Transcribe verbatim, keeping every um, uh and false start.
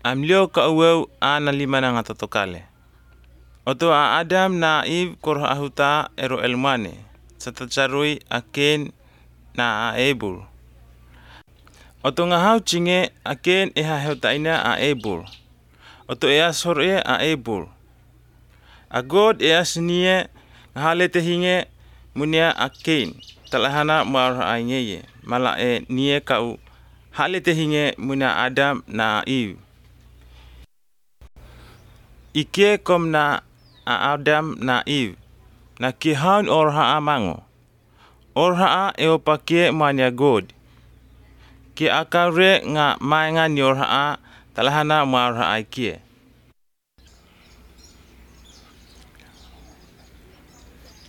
amlio ka uweu ana lima na ngatatokale. Oto a Adam na Eve kor ahuta ero elmane, satacharui aken na a Abel. Oto ngahau cinge aken eha heutaina a Abel. Oto ea sore a Abel. A God ea senie ngahalete hinge munia aken talahana mar aingeye mala e nie kau halete hinge munia Adam na Eve. Ike kom na a Adam na Eve na kihaun orha amango. Orha eo pakie mania God. Ki akare nga mainga ni orha talahana marha aikie.